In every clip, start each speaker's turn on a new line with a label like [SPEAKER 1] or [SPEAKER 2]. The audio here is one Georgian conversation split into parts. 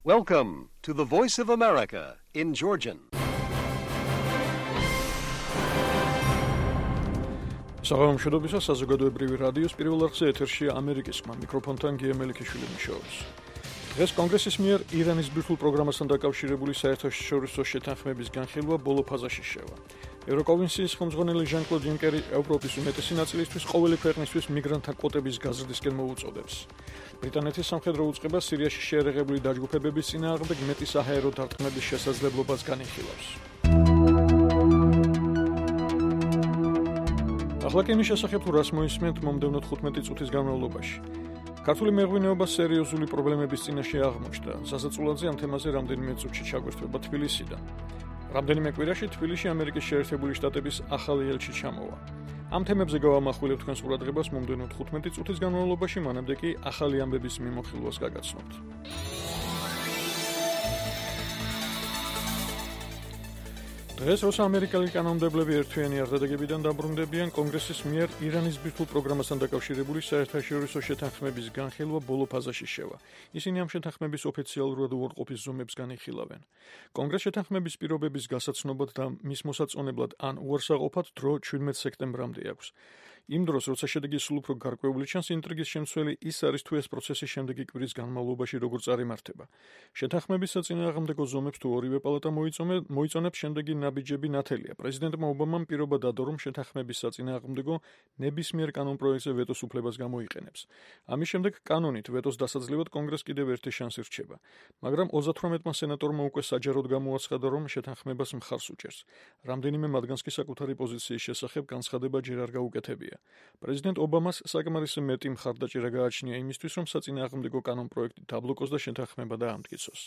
[SPEAKER 1] Welcome to the Voice of America in Georgian.
[SPEAKER 2] საღამომშვიდობისა საზოგადოებრივი რადიოს პირველ არხზე ეთერშია ამერიკის ხმა მიკროფონთან გიემელიქიშვილი მუშაობს. დღეს კონგრესის მიერ ირანის ბირთვულ პროგრამასთან დაკავშირებული საერთაშორისო შეთანხმების განხილვა ბოლო ფაზაში შევა. ევროკომისიის ხელმძღვანელი ჟან-კლოდ იუნკერი ევროპის უმეტესი ნაწილისთვის ყოველი ქვეყნისთვის მიგრანტთა კვოტების გაზრდისკენ მოუწოდებს. ბრიტანეთის სამხედრო უწყება სირიაში შეერაღებული დაჯგუფებების წინააღმდეგ მეტი საჰაერო დარტყმების შესაძლებლობას განიხილავს. ახლა კი იმის შესახებ თუ რას მოისმენთ მომდევნო 15 წუთის განმავლობაში. ქართული მეღვინეობა სერიოზული პრობლემების წინაშე აღმოჩნდა. სასაცილოზე ამ თემაზე რამდენიმე წუთში ჩაგვერთვება თბილისიდან. რამდენიმე კვირაში თბილისში ამერიკის შეერთებული შტატების ახალი ელჩი ჩამოვა. ამ თემებზე გავამახვილებ თქვენს ყურადღებას მომდევნო 15 წუთის განმავლობაში, მანამდე კი ახალი ამბების მიმოხილვას გაგაცნობთ. დღეს როცა ამერიკელი კანონმდებლები ერთვიანი არდადეგებიდან დაბრუნდებიან, კონგრესის მიერ ირანის ბირთვულ პროგრამასთან დაკავშირებული საერთაშორისო შეთანხმების განხილვა ბოლო ფაზაში შევა. ისინი ამ შეთანხმების ოფიციალურად უარყოფის ზომებს განიხილავენ. კონგრესს შეთანხმების პირობების გასაცნობად და მის მოსაწონებლად ან უარსაყოფად დრო 17 სექტემბრამდე აქვს. იმ დროს, როცა შედეგი სულ უფრო გარკვეული ჩანს, ინტრიგის შემცველი ის არის, თუ ეს პროცესი შემდეგი კვირის განმავლობაში როგორ წარიმართება. შეთანხმების საწინააღმდეგო ზომებს თუ ორივე პალატა მოიწონებს, შემდეგი ნაბიჯები ნათელია. პრეზიდენტმა ობამამ პირობა დადო, რომ შეთანხმების საწინააღმდეგო ნებისმიერ კანონპროექტზე ვეტოს უფლებას გამოიყენებს. ამის შემდეგ კანონით ვეტოს დასაძლევად კონგრესს კიდევ ერთი შანსი რჩება. მაგრამ 38-მა სენატორმა უკვე საჯაროდ გამოაცხადა, რომ შეთანხმებას მხარს უჭერს. რამდენიმე მათგანს კი საკუთარი პოზიციის შესახებ განცხადება ჯერ არ გაუკეთებია. პრეზიდენტ ობამას საკმარისი მეტი მხარდაჭერა გააჩნია იმისთვის, რომ საწინააღმდეგო კანონპროექტი დაბლოკოს და შეთანხმება დაამტკიცოს.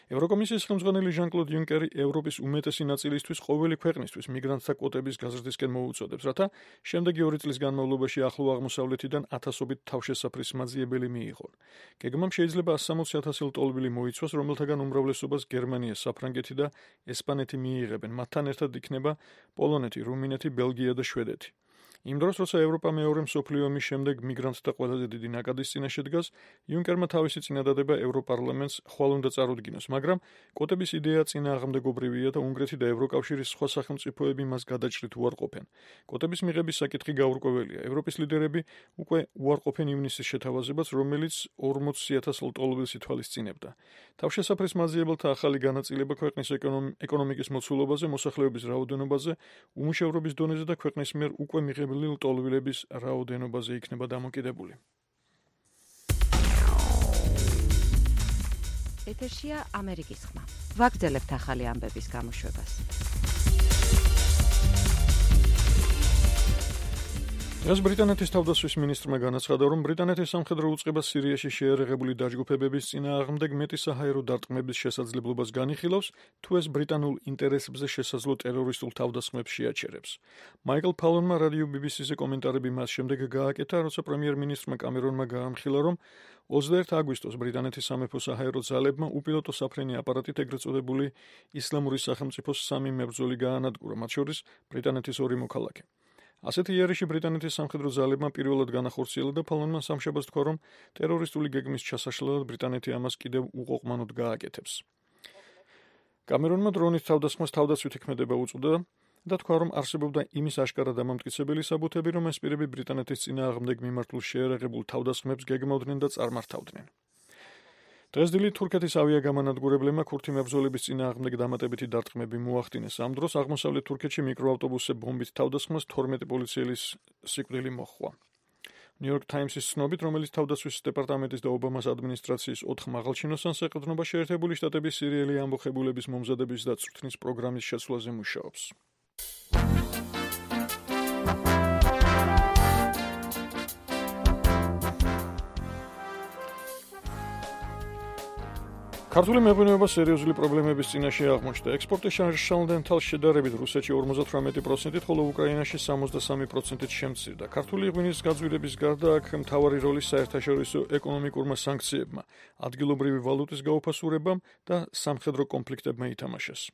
[SPEAKER 2] ევროკომისიის ხელმძღვანელი ჟან-კლოდ იუნკერი ევროპის უმეტესი ნაწილისთვის ყოველი ქვეყნისთვის მიგრანტთა კვოტების გაზრდისკენ მოუწოდებს, რათა შემდეგი 2 წლის განმავლობაში ახლო აღმოსავლეთიდან ათასობით თავშესაფრის მაძიებელი მიიღონ. გეგმამ შეიძლება 160,000 ლტოლვილი მოიცვას, რომელთაგან უმრავლესობას გერმანია, საფრანგეთი და ესპანეთი მიიღებენ. მათთან ერთად იქნება პოლონეთი, რუმინეთი, ბელგია და შვედეთი. იმ დროს, როცა ევროპა მეორე მსოფლიო ომის შემდეგ მიგრანტთა ყველაზე დიდი ნაკადის წინაშე დგას, იუნკერმა თავისი წინადადება ევროპარლამენტს ხვალ უნდა წარუდგინოს, მაგრამ კვოტების იდეა წინააღმდეგობრივია და უნგრეთი და ევროკავშირის სხვა სახელმწიფოები მას გადაჭრით უარყოფენ. კვოტების მიღების საკითხი გაურკვეველია. ევროპის ლიდერები უკვე უარყოფენ ივნისის შეთავაზებას, რომელიც 40,000 ლტოლვილს ითვალისწინებდა. თავშესაფრის მაძიებელთა ახალი განაწილება ქვეყნის ეკონომიკის მოცულობაზე, მოსახლეობის რაოდენობაზე, უმუშევრობის დონეზე და ქვეყნის მიერ უკვე მიღებული ლტოლვილების რაოდენობაზე იქნება დამოკიდებული.
[SPEAKER 3] ეთერშია ამერიკის ხმა. ვაგრძელებთ ახალი ამბების გამოშვებას.
[SPEAKER 2] დღეს ბრიტანეთის თავდაცვის მინისტრმა განაცხადა, რომ ბრიტანეთის სამხედრო უწყება სირიაში შეერაღებული დაჯგუფებების წინააღმდეგ მეტი საჰაერო დარტყმების შესაძლებლობას განიხილავს, თუ ეს ბრიტანულ ინტერესებზე შესაძლო ტერორისტულ თავდასხმებს შეაჩერებს. მაიკლ ფალონმა რადიო BBC-ზე კომენტარები მას შემდეგ გააკეთა, როცა პრემიერ-მინისტრმა კამერონმა გაამხილა, რომ 21 აგვისტოს ბრიტანეთის სამეფო საჰაერო ძალებმა უპილოტო საფრენი აპარატით ეგრეთ წოდებული ისლამური სახელმწიფოს 3 მებრძოლი გაანადგურა, მათ შორის ბრიტანეთის 2 მოქალაქე. ასეთი იერიში ბრიტანეთის სამხედრო ძალებმა პირველად განახორციელა და ფალონმა სამშაბათს თქვა, რომ ტერორისტული გეგმის ჩასაშლელად ბრიტანეთი ამას კიდევ უყოყმანოდ გააკეთებს. კამერონმა დრონის თავდასხმას თავდაცვითი ქმედება უწოდა და თქვა, რომ არსებობდა იმის აშკარა დამამტკიცებელი საბუთები, რომ ეს პირები ბრიტანეთის წინააღმდეგ მიმართულ შეერაღებულ თავდასხმებს გეგმავდნენ და წარმართავდნენ. დღეს დილით თურქეთის ავიაგამანადგურებლებმა ქურთი მებრძოლების წინააღმდეგ დამატებითი დარტყმები მოახდინეს. ამ დროს აღმოსავლეთ თურქეთში მიკროავტობუსზე ბომბით თავდასხმას 12 პოლიციელის სიკვდილი მოჰყვა. New York Times-ის ცნობით, რომელიც თავდაცვის დეპარტამენტის და ობამას ადმინისტრაციის 4 მაღალჩინოსანს ეყრდნობა შეერთებული შტატების სირიელი ამბოხებულების მომზადების და წვრთნის პროგრამის შეცვლაზე მუშაობს. ქართული მეღვინეობა სერიოზული პრობლემების წინაშე აღმოჩნდა. ექსპორტი შარშალდენ თალს შედარებით რუსეთში 58%-ით, ხოლო უკრაინაში 63%-ით შემცირდა. ქართული ღვინის გაძვირების გარდა აქ მთავარი როლი საერთაშორისო ეკონომიკურმა სანქციებმა, ადგილობრივი ვალუტის გაუფასურებამ და სამხედრო კონფლიქტებმა ითამაშეს.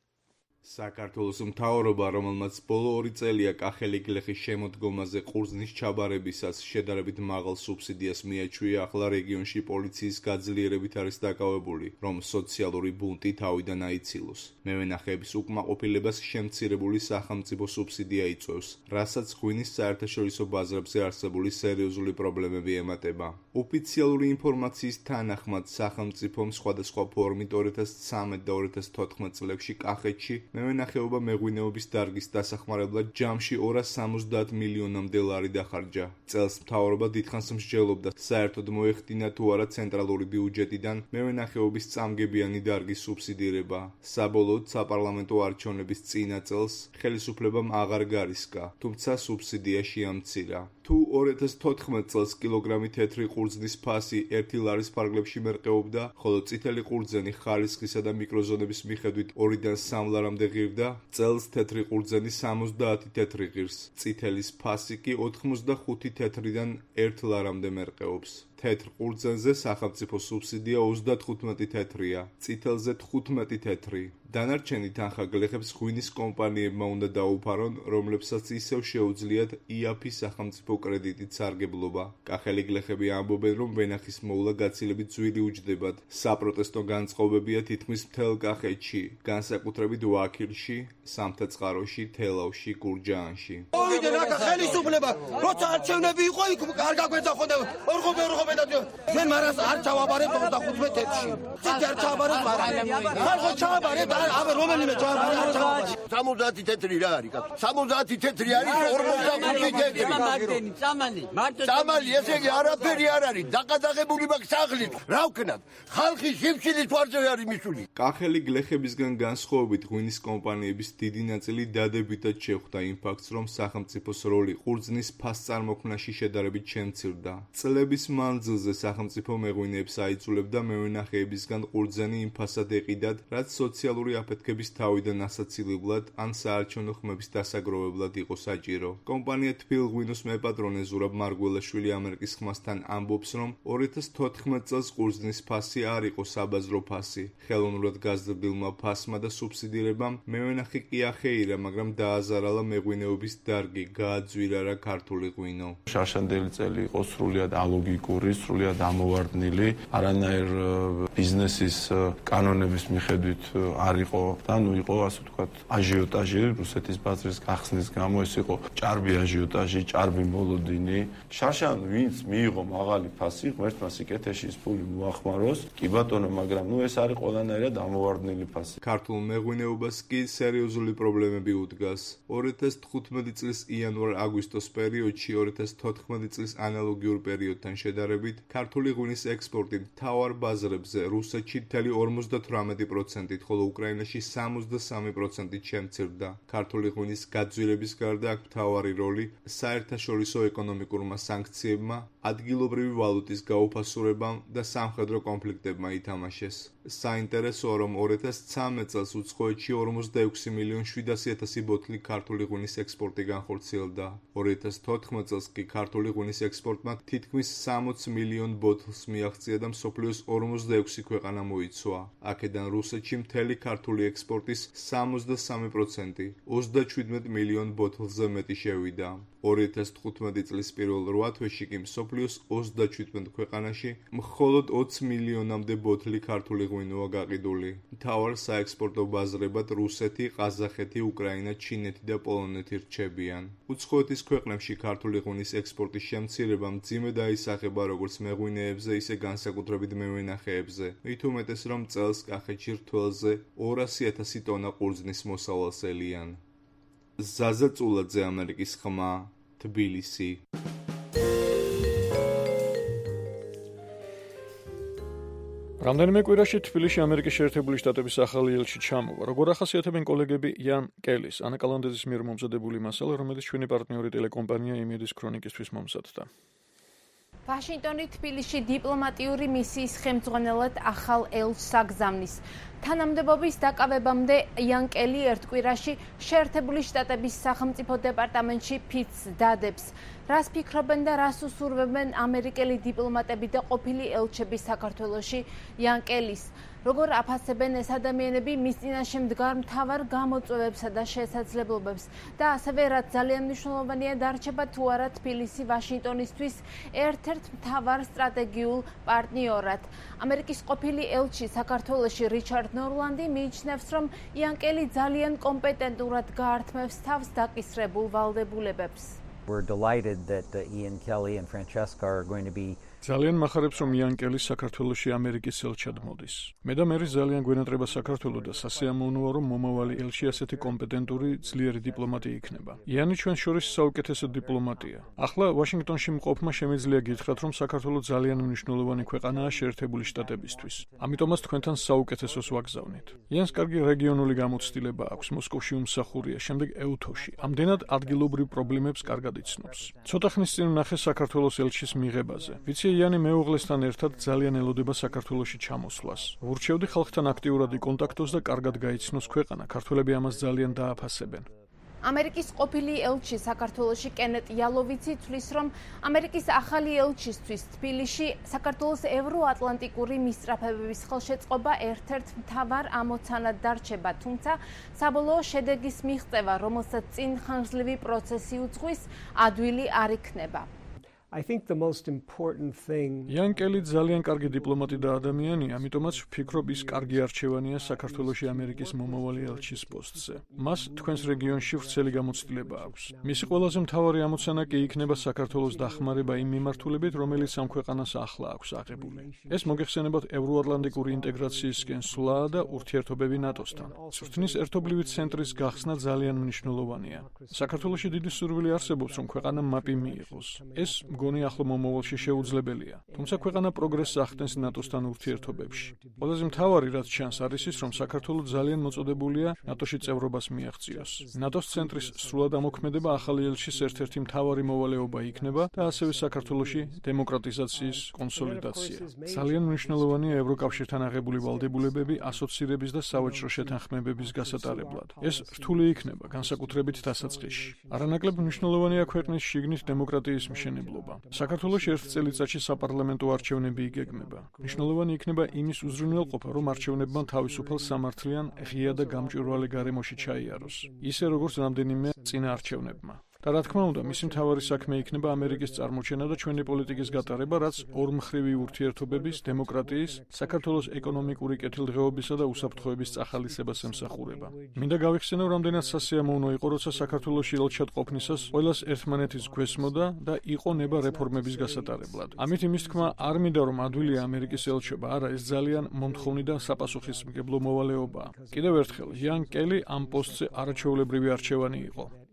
[SPEAKER 4] საქართველოს მთავრობა, რომელმაც ბოლო 2 წელია კახელი გლეხის შემოდგომაზე ყურძნის ჩაბარებისას შედარებით მაღალ სუბსიდიას მიაჩვია, ახლა რეგიონში პოლიციის გაძლიერებით არის დაკავებული, რომ სოციალური ბუნტი თავიდან აიცილოს. მევენახეების უკმაყოფილებას შემცირებული სახელმწიფო სუბსიდია იწვევს, რასაც ღვინის საერთაშორისო ბაზრებზე არსებული სერიოზული პრობლემები ემატება. ოფიციალური ინფორმაციის თანახმად, სახელმწიფომ სხვადასხვა ფორმით 2013 და 2014 წლებში კახეთში მევენახეობა მეღვინეობის დარგის დასახმარებლად ჯამში 270 მილიონამდე ლარი დახარჯა. წელს მთავრობა დიდხანს მსჯელობდა, საერთოდ მოეხდინა თუ არა ცენტრალური ბიუჯეტიდან მევენახეობის წამგებიანი დარგის სუბსიდირება. საბოლოოდ საპარლამენტო არჩევნების წინა წელს ხელისუფლებამ აღარ გარისკა, თუმცა სუბსიდია შეამცირა. თუ 2014 წელს კილოგრამი თეთრი ყურძნის ფასი 1 ლარის ფარგლებში მერყეობდა, ხოლო წითელი ყურძენი ხარისხისა და მიკროზონების მიხედვით 2-დან 3 ლარამდე ღირდა, წელს თეთრი ყურძენი 70 თეთრი ღირს, წითელის ფასი კი 85 თეთრიდან 1 ლარამდე მერყეობს. თეთრ ყურძენზე სახელმწიფო სუბსიდია 35 თეთრია, წითელზე 15 თეთრი. დანარჩენი თანხა გლეხებს ღვინის კომპანიებმა უნდა დაუფარონ, რომლებსაც ისევ შეუძლიათ იაფი სახელმწიფო კრედიტით სარგებლობა. კახელი გლეხები ამბობენ, რომ ვენახის მოვლა გაცილებით ძვირი უჯდებათ. საპროტესტო განწყობებია თითქმის მთელ კახეთში, განსაკუთრებით ვაქილში, სამთაწყაროში, თელავში, გურჯაანში.
[SPEAKER 5] მოვიდნენ აქ ხელისუფლება, როცა არჩევნები იყო, იქ არ გაგვეძახოდა ორღობე და ჩვენ მარას არ ჩავაბარეთ 25 თეთრში. ცით არ ჩავაბარეთ მარას. ხალხო ჩავაბარეთ, აბა რომელიმე ჩავაბარეთ. 70 თეთრი რა არის? 70 თეთრი არის 45 თეთრი. წამალი, ესე იგი არაფერი არ არის. დაკადაღებული მაქვს სახლით. რა ვქნათ? ხალხი შიფშილის თვარზე არის მისული.
[SPEAKER 4] კახელი გლეხებისგან განსხვავებით ღვინის კომპანიების დიდი ნაწილი დადებითად შეხვდა იმ ფაქტს, რომ სახელმწიფოს როლი ყურძნის ფასწარმოქმნაში შედარებით შემცირდა. წლების მანძილზე სახელმწიფო მეღვინეებს აიძულებდა მევენახეებისგან ყურძენი იმ ფასად ეყიდათ, რაც სოციალური აფეთქების თავიდან ასაცილებლად ან საარჩევნო ხმების დასაგროვებლად იყო საჭირო. კომპანია თბილღვინოს მეპატრონე ზურაბ მარგველაშვილი ამერიკის ხმასთან ამბობს, რომ 2014 წელს ყურძნის ფასი არ იყო საბაზრო ფასი. ხელოვნურად გაზრდილმა ფასმა და სუბსიდირებამ მევენახე კი ახეირა, მაგრამ დააზარალა მეღვინეობის დარგი, გააძვირარა ქართული ღვინო.
[SPEAKER 6] შარშანდელი წელი იყო სრულიად ალოგიკური, სრულიად ამოვარდნილი, არანაირ ბიზნესის კანონების მიხედვით არ იყო და იყო ასე ვთქვათ აჟიოტაჟი რუსეთის ბაზრის გახსნის გამო, ეს იყო ჭარბი აჟიოტაჟი, ჭარბი მოლოდინი. შარშან ვინც მიიღო მაღალი ფასი, ღმერთმა სიკეთეში ის ფული მოახმაროს, კი ბატონო, მაგრამ ეს არის ყველანაირად ამოვარდნილი ფასი.
[SPEAKER 4] ქართულ მეღვინეობას კი სერიოზული პრობლემები უდგას. 2015 წლის იანვარ-აგვისტოს პერიოდში 2014 წლის ანალოგიურ პერიოდთან შედარებით ქართული ღვინის ექსპორტი მთავარ ბაზრებზე რუსეთში 58%-ით, ხოლო უკრაინაში 63%-ით შემცირდა. ქართული ღვინის გაძვირების გარდა აქ მთავარი როლი საერთაშორისო ეკონომიკურმა სანქციებმა, ადგილობრივი ვალუტის გაუფასურებამ და სამხედრო კონფლიქტებმა ითამაშეს. საინტერესოა, რომ 2013 წელს უცხოეთში 46.700.000 ბოთლი ქართული ღვინის ექსპორტი განხორციელდა. 2014 წელს კი ქართული ღვინის ექსპორტმა თითქმის 60 მილიონ ბოთლს მიაღწია და მსოფლიოს 46 ქვეყანა მოიცვა. აქედან რუსეთში მთელი ქართული ექსპორტის 63%, 37 მილიონ ბოთლზე მეტი შევიდა. 2015 წლის პირველ 8 თვეში კი მსოფლიოს 37 ქვეყანაში მხოლოდ 20 მილიონამდე ბოთლი ქართული ღვინოა გაყიდული. მთავარ საექსპორტო ბაზრებად რუსეთი, ყაზახეთი, უკრაინა, ჩინეთი და პოლონეთი რჩებიან. უცხოეთის ქვეყნებში ქართული ღვინის ექსპორტის შემცირება მძიმე დაისახება როგორც მეღვინეებზე, ისე განსაკუთრებით მევენახეებზე. მით უმეტეს, რომ წელს კახეთში რთველზე 200,000 ტონა ყურძნის მოსავალს ელიან. ზაზა წულაძე, ამერიკის ხმა, თბილისი.
[SPEAKER 2] რამდენიმე კვირაში თბილისში ამერიკის შეერთებული შტატების ახალი ელჩი ჩამოვა. როგორ ახასიათებენ კოლეგები იან კელის, ანა კალანდეძის მიერ მომზადებული მასალა, რომელიც ჩვენი პარტნიორი ტელეკომპანია იმედის ქრონიკისთვის მომზადდა.
[SPEAKER 7] ვაშინგტონი თბილისში დიპლომატიური მისიის ხელმძღვანელად ახალ ელჩს აგზავნის. თანამდებობის დაკავებამდე იან კელი ერთ კვირაში შეერთებული შტატების სახელმწიფო დეპარტამენტში ფიცს დადებს. რას ფიქრობენ და რას უსურვებენ ამერიკელი დიპლომატები და ყოფილი ელჩები საქართველოში იანკელის? როგორ აფასებენ ეს ადამიანები მის წინაშე მდგარ მთავარ გამოწვევებსა და შესაძლებლობებს და ასევე რაც ძალიან მნიშვნელოვანია დარჩება თუ არა თბილისი ვაშინგტონისთვის ერთ-ერთ მთავარ სტრატეგიულ პარტნიორად. ამერიკის ყოფილი ელჩი საქართველოში რიჩარდ ნორლანდი მიიჩნევს, რომ იანკელი ძალიან კომპეტენტურად გაართმევს თავს დაკისრებულ ვალდებულებებს.
[SPEAKER 8] We're delighted that Ian Kelly and Francesca are going to be
[SPEAKER 2] ძალიან მახარებს, რომ იანკელი საქართველოში ამერიკის ელჩად მოდის. მე და მერი ძალიან გვენატრება საქართველო და სასიამოვნოა, რომ მომავალი ელჩი ასეთი კომპეტენტური, ძლიერი დიპლომატი იქნება. იანი ჩვენ შორის საუკეთესო დიპლომატია. ახლა ვაშინგტონში მყოფმა შემიძლია გითხრათ, რომ საქართველო ძალიან მნიშვნელოვანი ქვეყანაა შეერთებული შტატებისთვის. ამიტომაც თქვენთან საუკეთესოს ვაგზავნით. იანს კარგი რეგიონული გამოცდილება აქვს, მოსკოვში უმსახურია, შემდეგ ეუთოში. ამდენად ადგილობრივ პრობლემებს კარგად იცნობს. ცოტა ხნის წინ ვნახე საქართველოს ელჩის მიღებაზე. ვიცი იანი მეუღლესთან ერთად ძალიან ელოდება საქართველოში ჩამოსვლას. ვურჩევდი ხალხთან აქტიურად იკონტაქტოს და კარგად გაიცნოს ქვეყანა. ქართველები ამას ძალიან დააფასებენ.
[SPEAKER 7] ამერიკის ყოფილი ელჩი საქართველოში კენეტ იალოვიცი თვლის, რომ ამერიკის ახალი ელჩისთვის თბილისში საქართველოს ევროატლანტიკური მისწრაფებების ხელშეწყობა ერთ-ერთ მთავარ ამოცანად დარჩება, თუმცა საბოლოო შედეგის მიღწევა, რომელსაც წინ ხანგრძლივი პროცესი უძღვის, ადვილი არ იქნება.
[SPEAKER 9] I think the most important thing
[SPEAKER 2] იანკელი ძალიან კარგი დიპლომატი და ადამიანია, ამიტომაც ვფიქრობ ის კარგი არჩევანია საქართველოში ამერიკის მომავალი ელჩის პოსტზე. მას თქვენს რეგიონში ვრცელი გამოცდილება აქვს. მისი ყველაზე მთავარი ამოცანა კი იქნება საქართველოს დახმარება იმ მიმართულებით, რომელიც ამ ქვეყანას ახლა აქვს აღებული. ეს მოგეხსენებათ ევროატლანტიკური ინტეგრაციისკენ სვლა და ურთიერთობები ნატოსთან. წვრთნის ერთობლივი ცენტრის გახსნა ძალიან მნიშვნელოვანია. საქართველოში დიდი სურვილი არსებობს, რომ ქვეყანა მაპი მიიღოს. ეს მგონი ახლო მომავალში შეუძლებელია. თუმცა ქვეყანა პროგრესს ახდენს ნატოსთან ურთიერთობებში. ყველაზე მთავარი რაც ჩანს არის ის, რომ საქართველო ძალიან მოწოდებულია ნატოში წევრობას მიაღწიოს. ნატოს ცენტრის სრულად ამოქმედება ახალი ელჩის ერთ-ერთი მთავარი მოვალეობა იქნება და ასევე საქართველოში დემოკრატიზაციის კონსოლიდაცია. ძალიან მნიშვნელოვანია ევროკავშირთან აღებული ვალდებულებები ასოცირების და სავაჭრო შეთანხმებების გასატარებლად. ეს რთული იქნება, განსაკუთრებით დასაწყისში. არანაკლებ მნიშვნელოვანია ქვეყნის შიგნით დემოკრატიის მშენებლობა. საქართველოში ერთ წელიწადში საპარლამენტო არჩევნები იგეგმება. მნიშვნელოვანი იქნება იმის უზრუნველყოფა, რომ არჩევნებმა თავისუფალ სამართლიან, ღია და გამჭვირვალე გარემოში ჩაიაროს, ისე როგორც რამდენიმე წინა არჩევნებმა. და რა თქმა უნდა, მისი მთავარი საქმე იქნება ამერიკის წარმოჩენა და ჩვენი პოლიტიკის გატარება, რაც ორმხრივი ურთიერთობების, დემოკრატიის, საქართველოს ეკონომიკური კეთილდღეობისა და უსაფრთხოების წახალისებას ემსახურება. მინდა გავიხსენო, რამდენად სასიამოვნო იყო, როცა საქართველოში ელჩად ყოფნისას ყველას ერთმანეთის გვესმოდა და იყო ნება რეფორმების გასატარებლად. ამით იმის თქმა არ მინდა, რომ ადვილია ამერიკის ელჩობა, არა, ეს ძალიან მომთხოვნი და საპასუხისმგებლო მოვალეობაა. კიდევ ერთხელ, იან კელი ამ პოსტზე არაჩვეულებრივი არჩევანი იყო.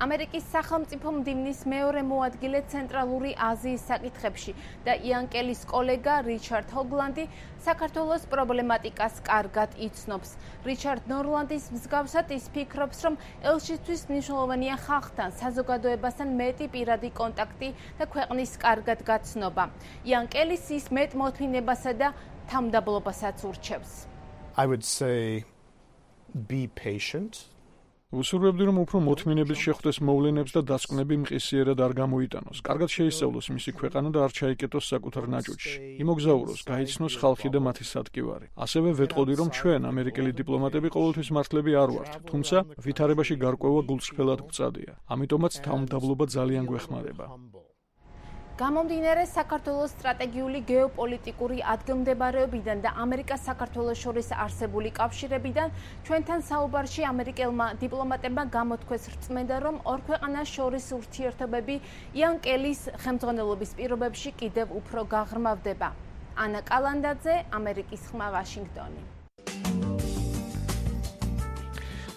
[SPEAKER 7] ამერიკის სახელმწიფო მდივნის მეორე მოადგილე ცენტრალური აზიის საკითხებში და იანკელის კოლეგა რიჩარდ ჰოგლანდი საქართველოს პრობლემატიკას კარგად იცნობს. რიჩარდ ნორლანდის მსგავსად ის ფიქრობს, რომ ელჩისთვის მნიშვნელოვანია ხალხთან, საზოგადოებასთან მეტი პირადი კონტაქტი და ქვეყნის კარგად გაცნობა. იანკელის ის მეტ მოთმინებასა და თამდაბლობასაც ურჩევს.
[SPEAKER 9] I would say be patient.
[SPEAKER 2] უსურვებდი, რომ უფრო მოთმინებით შეხვდეს მოვლენებს და დასკვნები მყისიერად არ გამოიტანოს. კარგად შეისწავლოს მისი ქვეყანა და არ ჩაიკეტოს საკუთარ ნაჭუჭში. იმოგზაუროს, გაიცნოს ხალხი და მათი სადგივარი. ასევე ვეტყოდი, რომ ჩვენ, ამერიკელი დიპლომატები, ყოველთვის მართლები არ ვართ, თუმცა ვითარებაში გარკვევა გულწრფელად გვწადია. ამიტომაც თავმდაბლობა ძალიან გვეხმარება.
[SPEAKER 7] გამომდინარე საქართველოს სტრატეგიული გეოპოლიტიკური ადგილმდებარეობიდან და ამერიკას საქართველოს შორის არსებული კავშირებიდან, ჩვენთან საუბარში ამერიკელმა დიპლომატებმა გამოთქვეს რწმენდა, რომ ორ ქვეყანას შორის ურთიერთობები იანკელის ხელმძღვანელობის პირობებში კიდევ უფრო გაღრმავდება. ანა კალანდაძე, ამერიკის ხმა, ვაშინგტონი.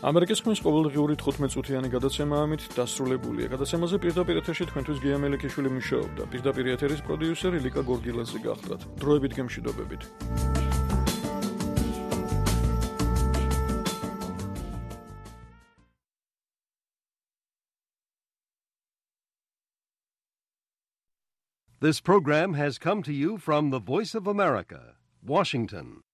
[SPEAKER 2] ამერიკის ხმის ყოველდღიური 15 წუთიანი გადაცემა ამით დასრულებულია. გადაცემაზე პირდაპირ ეთერში თქვენთვის გია მელიქიშვილი მუშაობდა. პირდაპირ ეთერის პროდიუსერი ლიკა გორგილაძე გახლდათ. დროებით გემშვიდობებით.
[SPEAKER 1] This program has come to you from the Voice of America, Washington.